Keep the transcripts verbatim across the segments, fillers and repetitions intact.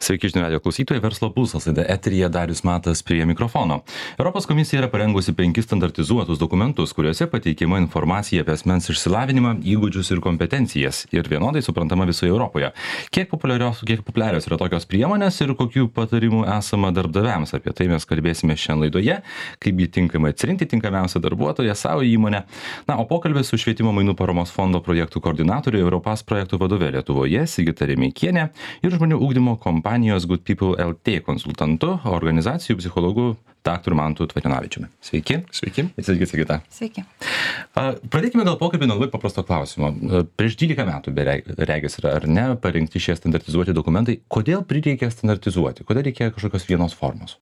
Sveiki, žinių radijo klausytojai, Verslo pulsas, laida eteryje Darius Matas prie mikrofono. Europos komisija yra parengusi penkis standartizuotus dokumentus, kuriuose pateikiama informacija apie asmens išsilavinimą, įgūdžius ir kompetencijas ir vienodai suprantama visoje Europoje. Kiek populiarios, kiek populiarios yra tokios priemonės ir kokių patarimų esama darbdaviams, apie tai mes kalbėsime šiandien laidoje, kaip jį tinkamai atsirinkti tinkamiausią darbuotoją savo įmonę. Na, o pokalbės su Švietimo mainų paramos fondo projektų koordinatoriu Europas projektų vadove Lietuvoje Sigita Remeikienė ir žmonių ugdymo kompanijos Good People L T konsultantu, organizacijų psichologu daktaru Mantu Tvarijonavičiumi. Sveiki. Sveiki. Sveiki, Sigita. Sveiki. Pradėkime gal pokalbį nuo labai paprasto klausimo. Prieš dvylika metų, regis yra ar ne, parengti šie standartizuoti dokumentai. Kodėl prireikė standartizuoti? Kodėl reikėjo kažkokios vienos formos?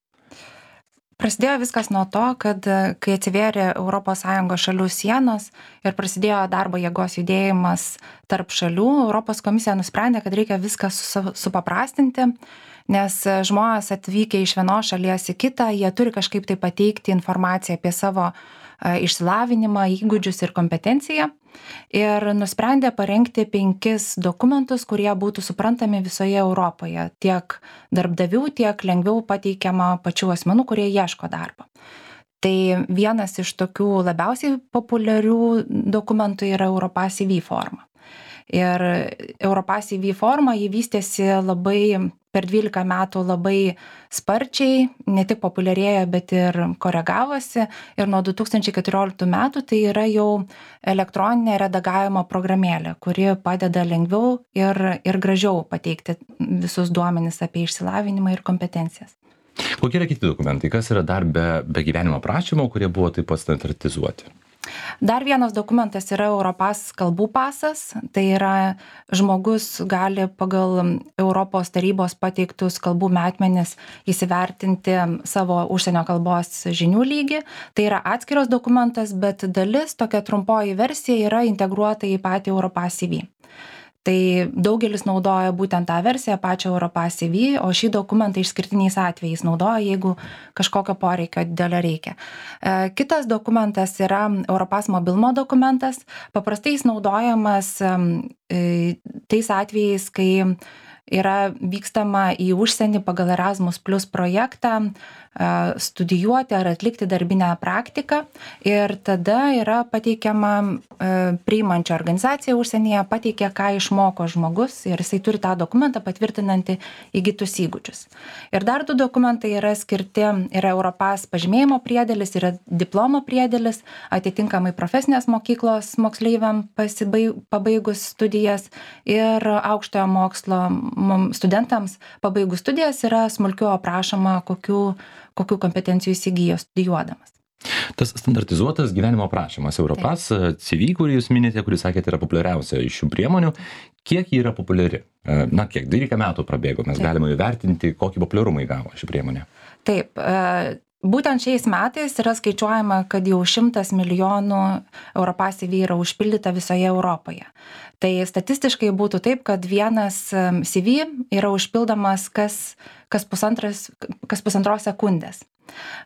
Prasidėjo viskas nuo to, kad kai atsivėrė Europos Sąjungos šalių sienos ir prasidėjo darbo jėgos judėjimas tarp šalių, Europos komisija nusprendė, kad reikia viską supaprastinti, nes žmonės atvykę iš vienos šalies į kitą, jie turi kažkaip tai pateikti informaciją apie savo išsilavinimą, įgūdžius ir kompetenciją. Ir nusprendė parengti penkis dokumentus, kurie būtų suprantami visoje Europoje, tiek darbdavių, tiek lengviau pateikiama pačių asmenų, kurie ieško darbo. Tai vienas iš tokių labiausiai populiarių dokumentų yra Europas C V forma. Ir Europas C V forma jį vystėsi labai per dvylika metų labai sparčiai, ne tik populiarėja, bet ir koregavosi. Ir nuo du tūkstančiai keturioliktų metų tai yra jau elektroninė redagavimo programėlė, kuri padeda lengviau ir, ir gražiau pateikti visus duomenis apie išsilavinimą ir kompetencijas. Kokie yra kiti dokumentai? Kas yra dar be, be gyvenimo aprašymo, kurie buvo taip pat standartizuoti? Dar vienas dokumentas yra Europas kalbų pasas, tai yra žmogus gali pagal Europos tarybos pateiktus kalbų metmenis įsivertinti savo užsienio kalbos žinių lygį. Tai yra atskiras dokumentas, bet dalis, tokia trumpoji versija yra integruota į patį Europas C V. Tai daugelis naudoja būtent tą versiją, pačią Europas C V, o šį dokumentą išskirtiniais atvejais naudoja, jeigu kažkokio poreikio didelio reikia. Kitas dokumentas yra Europas mobilumo dokumentas. Paprastai jis naudojamas tais atvejais, kai yra vykstama į užsienį pagal Erasmus Plus projektą, studijuoti ar atlikti darbinę praktiką ir tada yra pateikiama priimančia organizacija užsienyje, pateikia, ką išmoko žmogus ir jisai turi tą dokumentą patvirtinantį įgytus įgūdžius. Ir dar du dokumentai yra skirti, yra Europas pažymėjimo priedėlis, yra diplomo priedėlis, atitinkamai profesinės mokyklos moksleiviam pasibaig, pabaigus studijas ir aukštojo mokslo studentams pabaigus studijas yra smulkiau aprašoma, kokių kokių kompetencijų įsigijo studijuodamas. Tas standartizuotas gyvenimo aprašymas Europas C V, kurį jūs minite, kurį sakėte, yra populiariausia iš šių priemonių. Kiek ji yra populiari? Na, kiek dvylika metų prabėgo, mes Taip. Galime įvertinti, kokį populiarumą įgavo ši priemonė. Taip, būtent šiais metais yra skaičiuojama, kad jau šimtas milijonų Europas C V yra užpildyta visoje Europoje. Tai statistiškai būtų taip, kad vienas C V yra užpildomas kas, kas, pusantras, kas pusantros sekundės.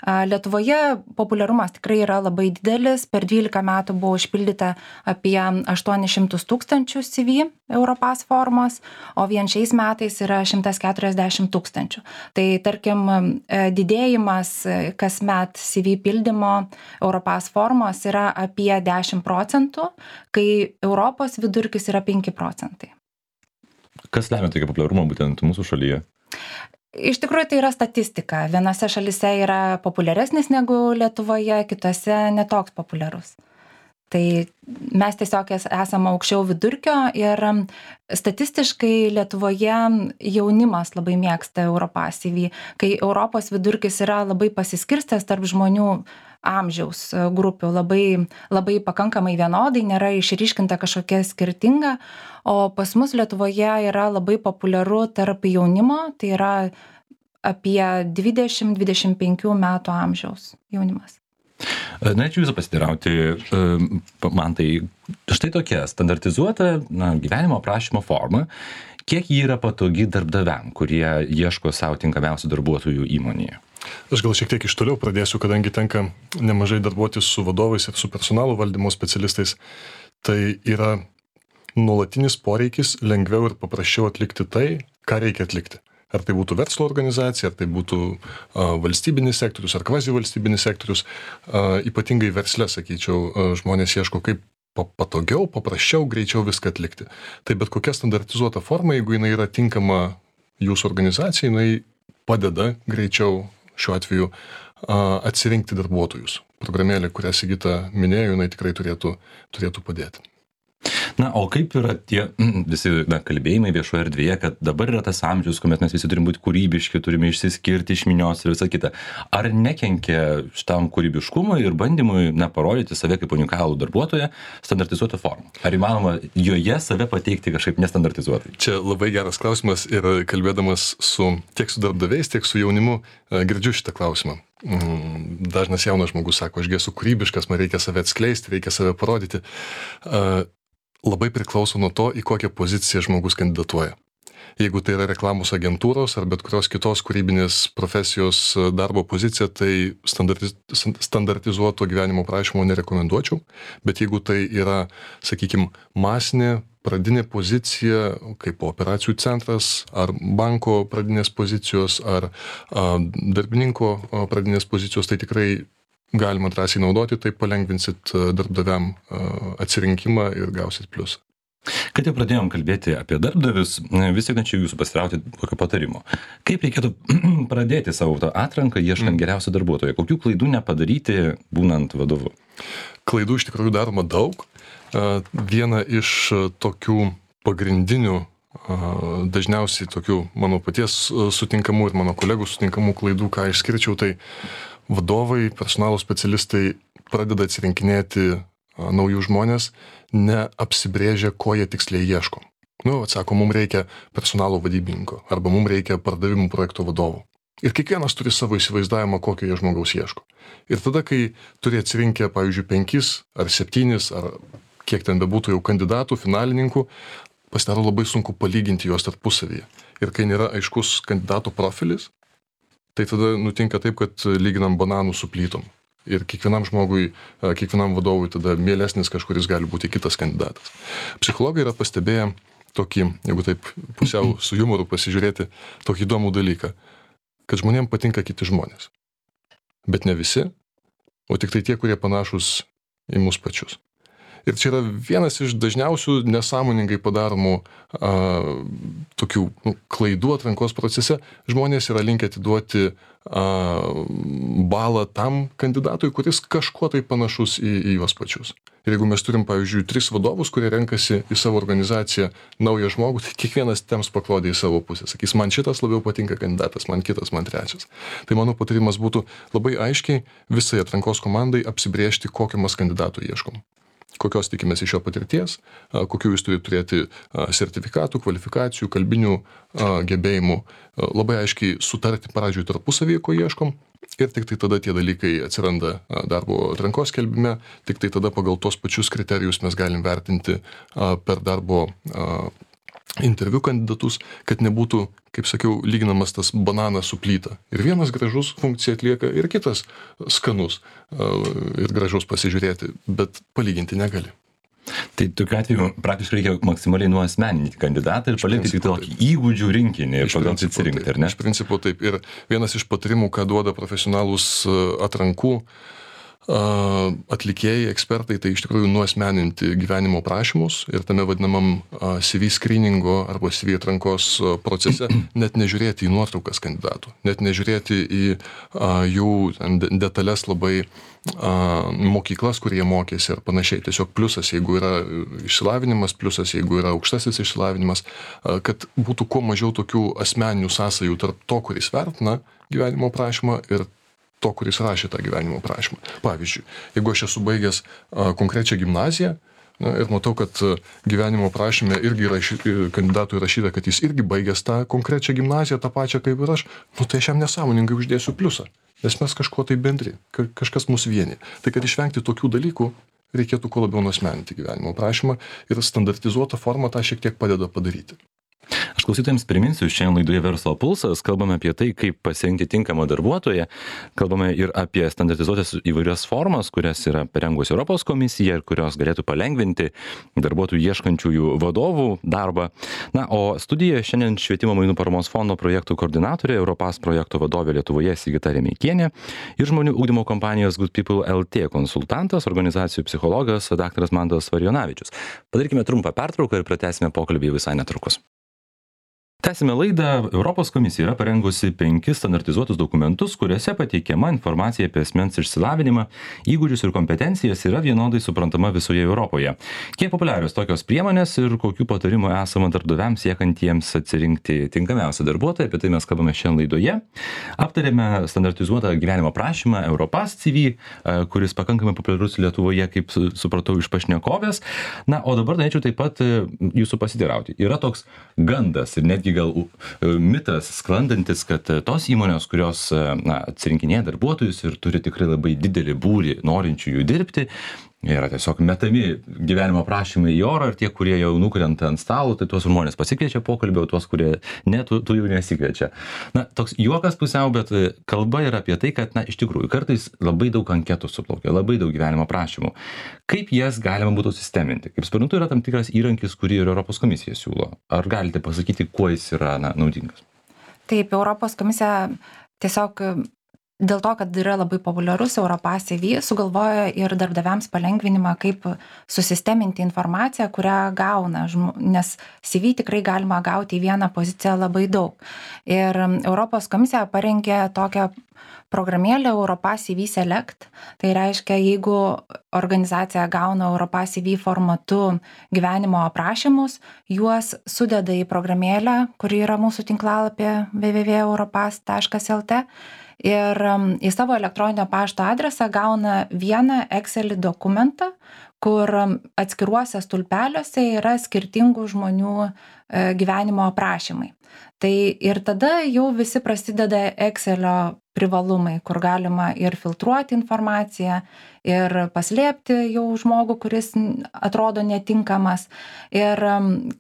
Lietuvoje populiarumas tikrai yra labai didelis. Per dvylika metų buvo užpildyta apie aštuonis šimtus tūkstančių C V Europas formos, o vien šiais metais yra šimtas keturiasdešimt tūkstančių. Tai tarkim, didėjimas kasmet C V pildymo Europas formos yra apie dešimt procentų, kai Europos vidurkis yra penki procentai. Kas lemia tokį populiarumą būtent mūsų šalyje? Iš tikrųjų tai yra statistika. Vienose šalyse yra populiaresnis negu Lietuvoje, kitose netoks populiarus. Tai mes tiesiog esame aukščiau vidurkio ir statistiškai Lietuvoje jaunimas labai mėgsta Europas C V, kai Europos vidurkis yra labai pasiskirstęs tarp žmonių amžiaus grupių, labai, labai pakankamai vienodai, nėra išryškinta kažkokia skirtinga, o pas mus Lietuvoje yra labai populiaru tarp jaunimo, tai yra apie dvidešimt dvidešimt penkių metų amžiaus jaunimas. Norėčiau jūsų pasiteirauti, man tai štai tokia standartizuota na, gyvenimo aprašymo forma, kiek ji yra patogi darbdaviam, kurie ieško savo tinkamiausių darbuotojų įmonėje? Aš gal šiek tiek iš toliau pradėsiu, kadangi tenka nemažai darbuotis su vadovais ir su personalo valdymo specialistais. Tai yra nuolatinis poreikis lengviau ir paprasčiau atlikti tai, ką reikia atlikti. Ar tai būtų verslo organizacija, ar tai būtų a, valstybinis sektorius, ar kvazi valstybinis sektorius. A, ypatingai versle, sakyčiau, a, žmonės ieško kaip patogiau, paprasčiau, greičiau viską atlikti. Tai bet kokia standartizuota forma, jeigu jinai yra tinkama jūsų organizacijai, jinai padeda greičiau šiuo atveju a, atsirinkti darbuotojus. Programėlė, kurią Sigita minėjo, jinai tikrai turėtų, turėtų padėti. Na, o kaip yra tie visi na, kalbėjimai viešoje erdvėje, kad dabar yra tas amžius, kuomet mes visi turim būti kūrybiški, turime išsiskirti iš minios ir visa kita. Ar nekenkia šitam kūrybiškumui ir bandymui na, parodyti save kaip unikalų darbuotoją standartizuotą formą? Ar įmanoma joje save pateikti kažkaip nestandartizuotai? Čia labai geras klausimas ir kalbėdamas su, tiek su darbdaviais, tiek su jaunimu girdžiu šitą klausimą. Dažnas jaunas žmogus sako, aš esu kūrybiškas, man reikia save atskleisti, reikia save parodyti. Labai priklauso nuo to, į kokią poziciją žmogus kandidatuoja. Jeigu tai yra reklamos agentūros ar bet kurios kitos kūrybinės profesijos darbo pozicija, tai standartiz, standartizuoto gyvenimo prašymo nerekomenduočiau, bet jeigu tai yra, sakykime, masinė pradinė pozicija, kaip operacijų centras, ar banko pradinės pozicijos, ar a, darbininko pradinės pozicijos, tai tikrai galima drąsiai naudoti, tai palengvinsit darbdaviam atsirinkimą ir gausit pliusą. Kad jau pradėjom kalbėti apie darbdavius, vis tik norėčiau jūsų pasirauti kokio patarimo. Kaip reikėtų pradėti savo tą atranką, ieškant mm. geriausio darbuotojo? Kokių klaidų nepadaryti, būnant vadovu? Klaidų iš tikrųjų daroma daug. Viena iš tokių pagrindinių, dažniausiai tokių mano paties sutinkamų ir mano kolegų sutinkamų klaidų, ką išskirčiau, tai vadovai, personalo specialistai pradeda atsirinkinėti naujų žmonės, neapsibrėžia, ko jie tiksliai ieško. Nu, atsako, mums reikia personalo vadybininko, arba mums reikia pardavimų projekto vadovo. Ir kiekvienas turi savo įsivaizdavimą, kokio jie žmogaus ieško. Ir tada, kai turi atsirinkę, pavyzdžiui, penkis ar septynis, ar kiek ten bebūtų jau kandidatų, finalininkų, pasidaro labai sunku palyginti juos tarpusavyje. Ir kai nėra aiškus kandidato profilis, tai tada nutinka taip, kad lyginam bananų su plytom. Ir kiekvienam žmogui, kiekvienam vadovui tada mielesnis kažkuris gali būti kitas kandidatas. Psichologai yra pastebėję tokį, jeigu taip pusiau su jumoru pasižiūrėti, tokį įdomų dalyką, kad žmonėms patinka kiti žmonės. Bet ne visi, o tik tai tie, kurie panašus į mus pačius. Ir čia yra vienas iš dažniausių nesąmoningai padaromų a, tokių nu, klaidų atrankos procese. Žmonės yra linkę atiduoti a, balą tam kandidatui, kuris kažkuo tai panašus į, į juos pačius. Ir jeigu mes turim, pavyzdžiui, tris vadovus, kurie renkasi į savo organizaciją naują žmogų, tai kiekvienas temps paklodė į savo pusę. Sakys, man šitas labiau patinka kandidatas, man kitas, man trečias. Tai mano patarimas būtų labai aiškiai visai atrankos komandai apsibrėžti, kokio mes kandidatų ieškom. Kokios tikimės iš jo patirties, kokių jūs turi turėti sertifikatų, kvalifikacijų, kalbinių gebėjimų, labai aiškiai sutarti pradžioj tarpusavyje, ko ieškom, ir tik tai tada tie dalykai atsiranda darbo atrankos skelbime, tik tai tada pagal tos pačius kriterijus mes galim vertinti per darbo interviu kandidatus, kad nebūtų, kaip sakiau, lyginamas tas bananas su plyta. Ir vienas gražus funkciją atlieka, ir kitas skanus ir gražus pasižiūrėti, bet palyginti negali. Tai tokiu atveju praktiškai reikia maksimaliai nuasmeninti kandidatą ir palikti tik tokį įgūdžių rinkinį ir pagal tai atsirinkti, ar ne? Iš principo taip. Ir vienas iš patarimų, ką duoda profesionalūs atrankų atlikėjai, ekspertai, tai iš tikrųjų nuasmeninti gyvenimo prašymus ir tame vadinamam C V screeningo arba C V atrankos procese net nežiūrėti į nuotraukas kandidatų, net nežiūrėti į jų detalės labai mokyklas, kur jie mokėsi ir panašiai. Tiesiog pliusas, jeigu yra išsilavinimas, pliusas, jeigu yra aukštasis išsilavinimas, kad būtų kuo mažiau tokių asmeninių sąsajų tarp to, kuris vertina gyvenimo prašymą ir to, kuris rašė tą gyvenimo prašymą. Pavyzdžiui, jeigu aš esu baigęs a, konkrečią gimnaziją, na, ir matau, kad gyvenimo prašyme irgi raši, kandidatui rašyta, kad jis irgi baigęs tą konkrečią gimnaziją, tą pačią kaip ir aš, nu tai aš jam nesąmoningai uždėsiu pliusą, nes mes kažkuo tai bendri, kažkas mus vienyje. Tai kad išvengti tokių dalykų, reikėtų kuo labiau nuasmeninti gyvenimo prašymą ir standartizuota forma tą šiek tiek padeda padaryti. Aš klausytojams priminsiu, šiandien laidoje Verslo pulsas kalbame apie tai, kaip pasirinkti tinkamą darbuotoją, kalbame ir apie standartizuotas įvairias formas, kurias yra parengusi Europos komisija ir kurios galėtų palengvinti darbuotojų ieškančiųjų vadovų darbą. Na, o studijoje šiandien Švietimo mainų paramos fondo projektų koordinatorė, Europass projekto vadovė Lietuvoje Sigita Remeikienė ir žmonių ugdymo kompanijos Good People L T konsultantas, organizacijų psichologas daktaras Mantas Varjonavičius. Padarykime trumpą pertrauką ir pratęsime pokalbį visai netrukus. Tęsime laidą. Europos komisija yra parengusi penkis standartizuotus dokumentus, kuriuose pateikiama informacija apie asmens išsilavinimą, įgūdžius ir kompetencijas yra vienodai suprantama visoje Europoje. Kiek populiarios tokios priemonės ir kokių patarimų esama darbdaviams siekantiems atsirinkti tinkamiausią darbuotoją, apie tai mes kalbame šiandien laidoje. Aptarėme standartizuotą gyvenimo prašymą Europass C V, kuris pakankamai populiarus Lietuvoje, kaip supratau iš pašnekovės. Na, o dabar norėčiau taip pat jūsų pasiteirauti. Yra toks gandas ir netgi gal mitas sklandantis, kad tos įmonės, kurios na, atsirinkinėja darbuotojus ir turi tikrai labai didelį būrį norinčių jų dirbti, yra tiesiog metami gyvenimo prašymai į orą ir tie, kurie jau nukrenta ant stalo, tai tuos žmonės pasikviečia pokalbį, o tuos, kurie ne, tu, tu jų nesikviečia. Na, toks juokas pusiau, bet kalba yra apie tai, kad, na, iš tikrųjų, kartais labai daug anketų suplaukia, labai daug gyvenimo prašymų. Kaip jas galima būtų sisteminti? Kaip suprantu, yra tam tikras įrankis, kurį ir Europos komisija siūlo. Ar galite pasakyti, kuo jis yra, na, naudingas? Taip, Europos komisija tiesiog dėl to, kad yra labai populiarus Europass C V, sugalvojo ir darbdaviams palengvinimą, kaip susisteminti informaciją, kurią gauna, nes C V tikrai galima gauti į vieną poziciją labai daug. Ir Europos komisija parengė tokią programėlę Europass C V Select. Tai reiškia, jeigu organizacija gauna Europass C V formatu gyvenimo aprašymus, juos sudeda į programėlę, kuri yra mūsų tinklalapyje w w w taškas europass taškas l t. Ir į savo elektroninio pašto adresą gauna vieną Excel dokumentą, kur atskiruose stulpeliuose yra skirtingų žmonių gyvenimo aprašymai. Tai ir tada jau visi prasideda Excelio privalumai, kur galima ir filtruoti informaciją, ir paslėpti jau žmogų, kuris atrodo netinkamas. Ir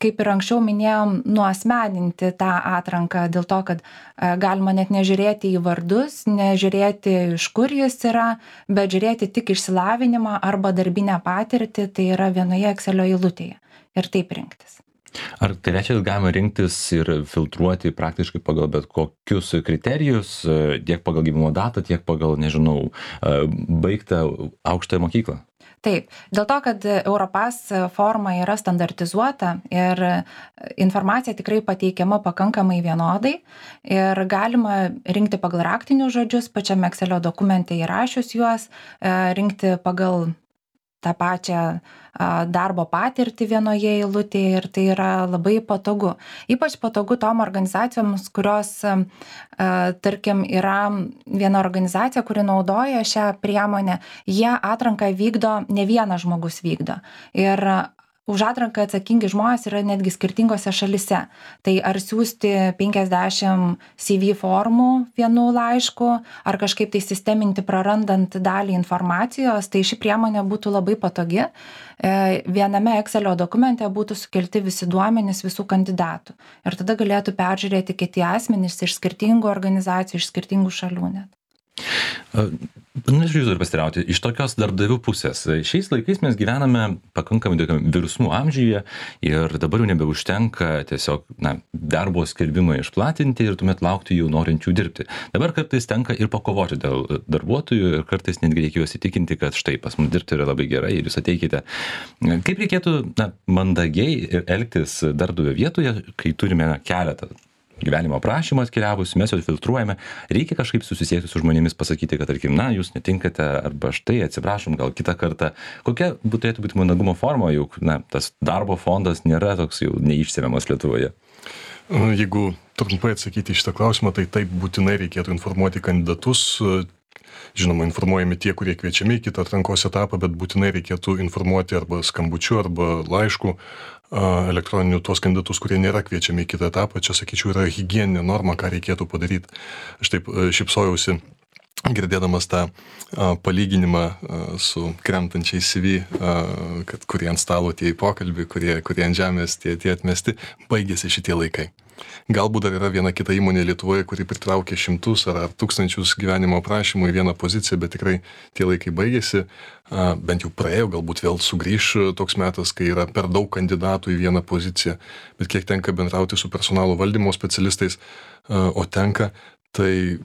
kaip ir anksčiau minėjom, nuasmeninti tą atranką dėl to, kad galima net nežiūrėti į vardus, nežiūrėti iš kur jis yra, bet žiūrėti tik išsilavinimą arba darbinę patirtį, tai yra vienoje Excelio eilutėje. Ir taip rinktis. Ar tai reiškia, kad galima rinktis ir filtruoti praktiškai pagal bet kokius kriterijus, tiek pagal gimimo datą, tiek pagal, nežinau, baigtą aukštąją mokyklą? Taip, dėl to, kad Europass forma yra standartizuota ir informacija tikrai pateikiama pakankamai vienodai ir galima rinkti pagal raktinius žodžius, pačiame Excelio dokumente įrašius juos, rinkti pagal tą pačią darbo patirtį vienoje eilutėje ir tai yra labai patogu. Ypač patogu tom organizacijoms, kurios, tarkim, yra viena organizacija, kuri naudoja šią priemonę, jie atranką vykdo, ne vienas žmogus vykdo. Ir už atranką atsakingi žmonės yra netgi skirtingose šalise. Tai ar siųsti penkiasdešimt C V formų vienu laišku, ar kažkaip tai sisteminti prarandant dalį informacijos, tai ši priemonė būtų labai patogi. Viename Excelio dokumente būtų sukelti visi duomenys visų kandidatų. Ir tada galėtų peržiūrėti kiti asmenys iš skirtingų organizacijų, iš skirtingų šalių net. Norėčiau jūsų dar pasiteirauti, iš tokios darbdavių pusės. Šiais laikais mes gyvename pakankamai virsmų amžiuje ir dabar jau nebeužtenka tiesiog na, darbo skelbimą išplatinti ir tuomet laukti jų norinčių dirbti. Dabar kartais tenka ir pakovoti dėl darbuotojų ir kartais netgi reikia juos įtikinti, kad štai pas mus dirbti yra labai gerai ir jūs ateikite. Kaip reikėtų na, mandagiai elgtis darbdavio vietoje, kai turime na, keletą gyvenimo aprašymą atkeliavus, mes jau filtruojame, reikia kažkaip susisiekti su žmonėmis, pasakyti, kad, tarkim, na, jūs netinkate, arba štai, atsiprašom, gal kitą kartą. Kokia turėtų būti mandagumo forma, juk, na, tas darbo fondas nėra toks jau neišsemiamas Lietuvoje? Jeigu trumpai atsakyti į šitą klausimą, tai taip būtinai reikėtų informuoti kandidatus. Žinoma, informuojami tie, kurie kviečiami į kitą atrankos etapą, bet būtinai reikėtų informuoti arba skambučiu, arba laišku elektroninių tuos kandidatus, kurie nėra kviečiami į kitą etapą. Čia, sakyčiau, yra higieninė norma, ką reikėtų padaryti. Aš taip šypsojausi girdėdamas tą a, palyginimą a, su krentančiais C V, a, kad kurie ant stalo tie į pokalbį, kurie, kurie ant žemės tie, tie atmesti, baigėsi šitie laikai. Galbūt dar yra viena kita įmonė Lietuvoje, kuri pritraukia šimtus ar, ar tūkstančius gyvenimo aprašymų į vieną poziciją, bet tikrai tie laikai baigėsi, a, bent jau praėjo, galbūt vėl sugrįš toks metas, kai yra per daug kandidatų į vieną poziciją, bet kiek tenka bendrauti su personalo valdymo specialistais, a, o tenka, tai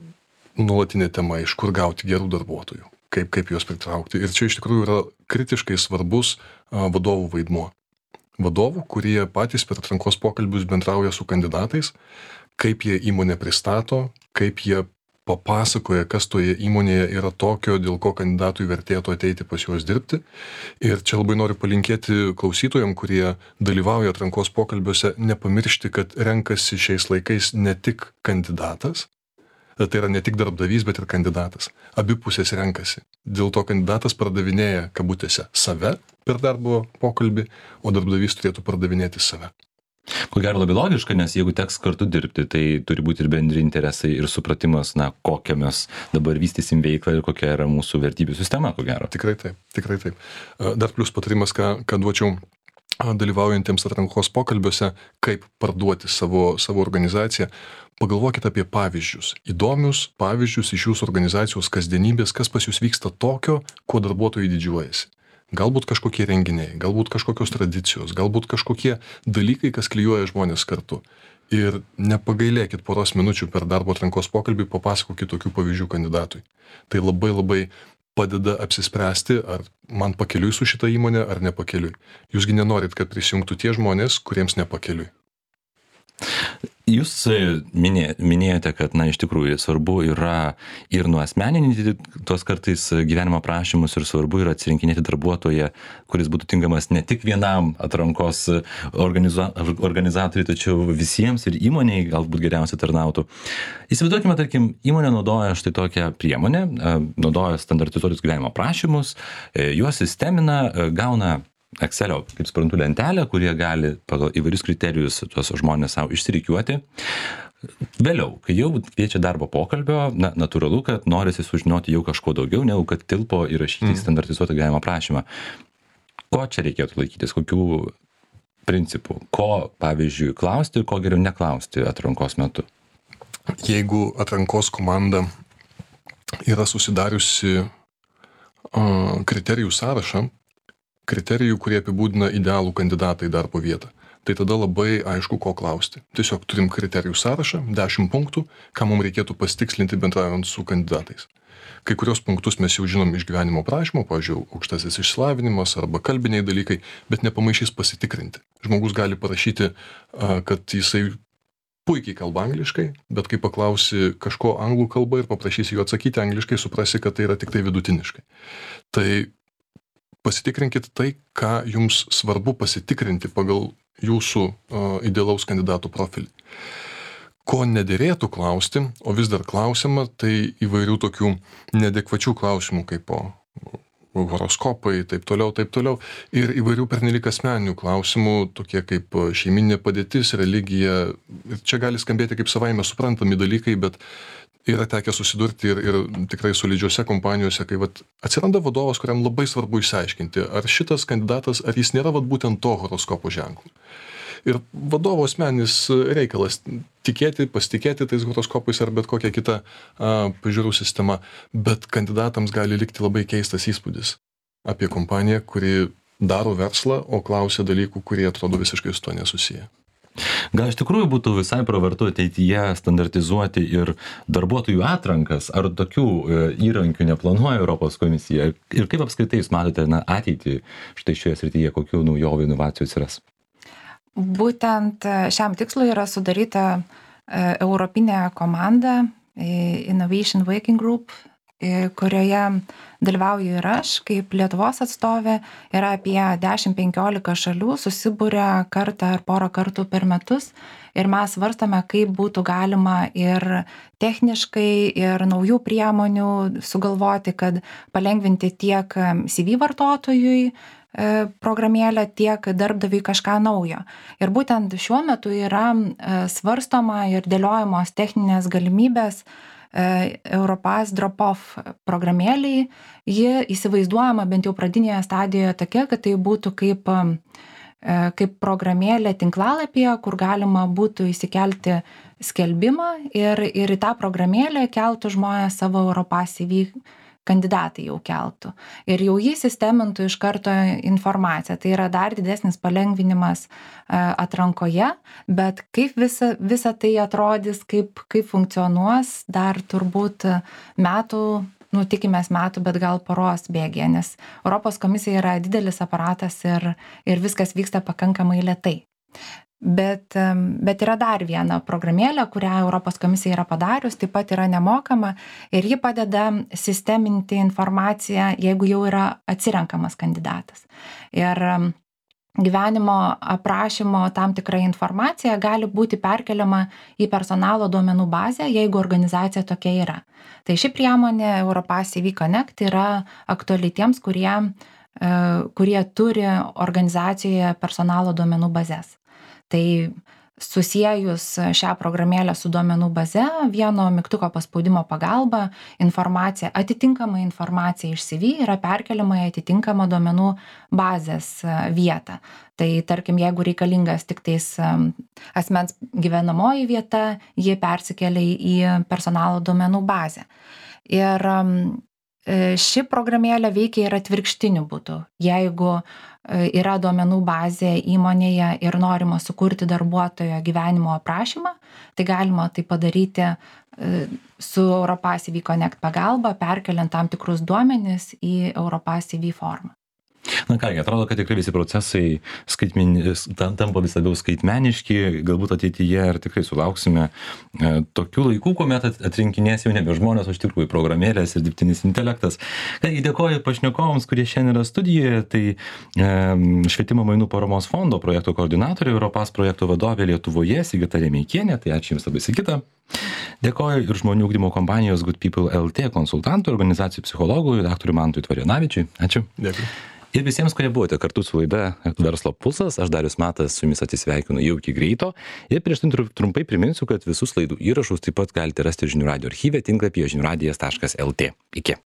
nuolatinė tema, iš kur gauti gerų darbuotojų, kaip, kaip juos pritraukti. Ir čia iš tikrųjų yra kritiškai svarbus a, vadovų vaidmuo. Vadovų, kurie patys per atrankos pokalbius bendrauja su kandidatais, kaip jie įmonę pristato, kaip jie papasakoja, kas toje įmonėje yra tokio, dėl ko kandidatui vertėtų ateiti pas juos dirbti. Ir čia labai noriu palinkėti klausytojams, kurie dalyvauja atrankos pokalbiuose, nepamiršti, kad renkasi šiais laikais ne tik kandidatas, tai yra ne tik darbdavys, bet ir kandidatas. Abi pusės renkasi. Dėl to kandidatas pardavinėja kabutėse save per darbo pokalbį, o darbdavys turėtų pardavinėti save. Ko gero labai logiška, nes jeigu teks kartu dirbti, tai turi būti ir bendri interesai ir supratimas, na, kokią mes dabar vystysim veiklą ir kokia yra mūsų vertybių sistema, ko gero. Tikrai taip, tikrai taip. Dar plius patarimas, ką, ką duočiau dalyvaujantiems atrankos pokalbiuose, kaip parduoti savo, savo organizaciją. Pagalvokite apie pavyzdžius, įdomius pavyzdžius iš jūsų organizacijos kasdienybės, kas pas jūs vyksta tokio, kuo darbuotojai didžiuojasi. Galbūt kažkokie renginiai, galbūt kažkokios tradicijos, galbūt kažkokie dalykai, kas klijuoja žmonės kartu. Ir nepagailėkit poros minučių per darbo atrankos pokalbį, papasakokit tokių pavyzdžių kandidatui. Tai labai labai padeda apsispręsti, ar man pakeliui su šita įmonė, ar nepakeliui. Jūsgi nenorit, kad prisijungtų tie žmonės, kuriems nepakeliui. Jūs minė, minėjote, kad, na, iš tikrųjų svarbu yra ir nuasmeninti tos kartais gyvenimo aprašymus ir svarbu yra atsirinkinėti darbuotoją, kuris būtų tinkamas ne tik vienam atrankos organiza, organizatoriui, tačiau visiems ir įmoniai galbūt geriausiai tarnautų. Įsivaizduokime, tarkim, įmonė naudoja štai tokią priemonę, naudoja standartizuotus gyvenimo aprašymus, juos sistemina, gauna Excelio, kaip suprantu, lentelę, kurie gali pagal įvairius kriterijus tuos žmonės savo išsirikiuoti. Vėliau, kai jau kviečia darbo pokalbio, na, natūralu, kad norisi sužinoti jau kažko daugiau, negu kad tilpo įrašyti į standartizuotą gyvenimo aprašymą. Ko čia reikėtų laikytis, kokių principų, ko, pavyzdžiui, klausti ir ko geriau neklausti atrankos metu? Jeigu atrankos komanda yra susidariusi uh, kriterijų sąrašą, kriterijų, kurie apibūdina idealų kandidatą į darbo vietą, tai tada labai aišku, ko klausti. Tiesiog turim kriterijų sąrašą, dešimt punktų, ką mums reikėtų pasitikslinti bendraujant su kandidatais. Kai kurios punktus mes jau žinom iš gyvenimo aprašymo, pavyzdžiui, aukštasis išsilavinimas arba kalbiniai dalykai, bet nepamaišys pasitikrinti. Žmogus gali parašyti, kad jisai puikiai kalba angliškai, bet kai paklausi kažko anglų kalba ir paprašysi jo atsakyti angliškai, suprasi, kad tai yra tik tai vidutiniškai. Tai pasitikrinkit tai, ką jums svarbu pasitikrinti pagal jūsų uh, idealaus kandidatų profilį. Ko nederėtų klausti, o vis dar klausiama, tai įvairių tokių neadekvačių klausimų, kaip po horoskopai, taip toliau, taip toliau, ir įvairių pernelyg asmeninių klausimų, tokie kaip šeiminė padėtis, religija. Ir čia gali skambėti kaip savaime suprantami dalykai, bet yra tekę susidurti ir, ir tikrai solidžiose kompanijose, kai vat, atsiranda vadovas, kuriam labai svarbu išsiaiškinti, ar šitas kandidatas, ar jis nėra vat, būtent to horoskopo ženklų. Ir vadovo asmeninis reikalas tikėti, pasitikėti tais horoskopais ar bet kokia kita a, pažiūrų sistema, bet kandidatams gali likti labai keistas įspūdis apie kompaniją, kuri daro verslą, o klausia dalykų, kurie atrodo visiškai su to nesusiję. Gal iš tikrųjų būtų visai pravartu ateityje standartizuoti ir darbuotojų atrankas, ar tokių įrankių neplanuoja Europos komisija? Ir kaip apskritai jūs matote na, ateitį štai šioje srityje, kokių naujovių inovacijų atsiras? Būtent šiam tikslui yra sudaryta europinė komanda Innovation Working Group, kurioje dalyvauju ir aš, kaip Lietuvos atstovė, yra apie dešimt penkiolika šalių, susibūrė kartą ar porą kartų per metus ir mes svarstame, kaip būtų galima ir techniškai, ir naujų priemonių sugalvoti, kad palengvinti tiek C V vartotojui, programėlę, tiek darbdaviui kažką naujo. Ir būtent šiuo metu yra svarstoma ir dėliojamos techninės galimybės Europass drop-off programėliai. Ji įsivaizduojama bent jau pradinėje stadijoje tokia, kad tai būtų kaip, kaip programėlė tinklalapyje, kur galima būtų įsikelti skelbimą ir, ir į tą programėlę keltų žmonės savo Europass C V kandidatai jau keltų. Ir jau jį sistemintų iš karto informaciją. Tai yra dar didesnis palengvinimas atrankoje, bet kaip visa, visa tai atrodys, kaip, kaip funkcionuos, dar turbūt metų, nu tikimės metų, bet gal poros bėgė, nes Europos komisija yra didelis aparatas ir, ir viskas vyksta pakankamai lėtai. Bet, bet yra dar viena programėlė, kurią Europos komisija yra padarius, taip pat yra nemokama ir ji padeda sisteminti informaciją, jeigu jau yra atsirenkamas kandidatas. Ir gyvenimo aprašymo tam tikra informacija gali būti perkeliama į personalo duomenų bazę, jeigu organizacija tokia yra. Tai ši priemonė Europass C V Connect yra aktuali tiems, kurie, kurie turi organizacijoje personalo duomenų bazės. Tai susiejus šią programėlę su duomenų baze, vieno mygtuko paspaudimo pagalba, informacija, atitinkama informacija iš C V yra perkeliama į atitinkamą duomenų bazės vietą. Tai tarkim, jeigu reikalingas tik tais asmens gyvenamoji vieta, jie persikelia į personalo duomenų bazę. Ir ši programėlė veikia ir atvirkštiniu būdu. Jeigu yra duomenų bazė įmonėje ir norima sukurti darbuotojo gyvenimo aprašymą, tai galima tai padaryti su Europass C V Connect pagalba, perkeliant tam tikrus duomenis į Europass C V formą. Na kągi, atrodo, kad tikrai visi procesai skaitmen, tampa vis labiau skaitmeniški, galbūt ateityje ir tikrai sulauksime e, tokių laikų, kuomet atrinkinės jau nebe žmonės, o iš tikrųjų programėlės ir dirbtinis intelektas. Kągi, dėkoju pašnekovams, kurie šiandien yra studijoje, tai e, Švietimo mainų paramos fondo projektų koordinatorė, Europass projektų vadovė Lietuvoje, Sigita Remeikienė, tai ačiū Jums labai, Sigita. Dėkoju ir žmonių ugdymo kompanijos Good People L T konsultantui, organizacijų psichologui, daktarui Mantui Tvarijonavičiui. Ačiū. Dėkui. Ir visiems, kurie buvote kartu su laida Verslo pulsas, aš Darius Matas su Jumis atsisveikinu jau iki greito. Ir prieš tai trumpai priminsiu, kad visus laidų įrašus taip pat galite rasti žinių radijo archyve tinklapyje žinių radijas taškas L T. Iki.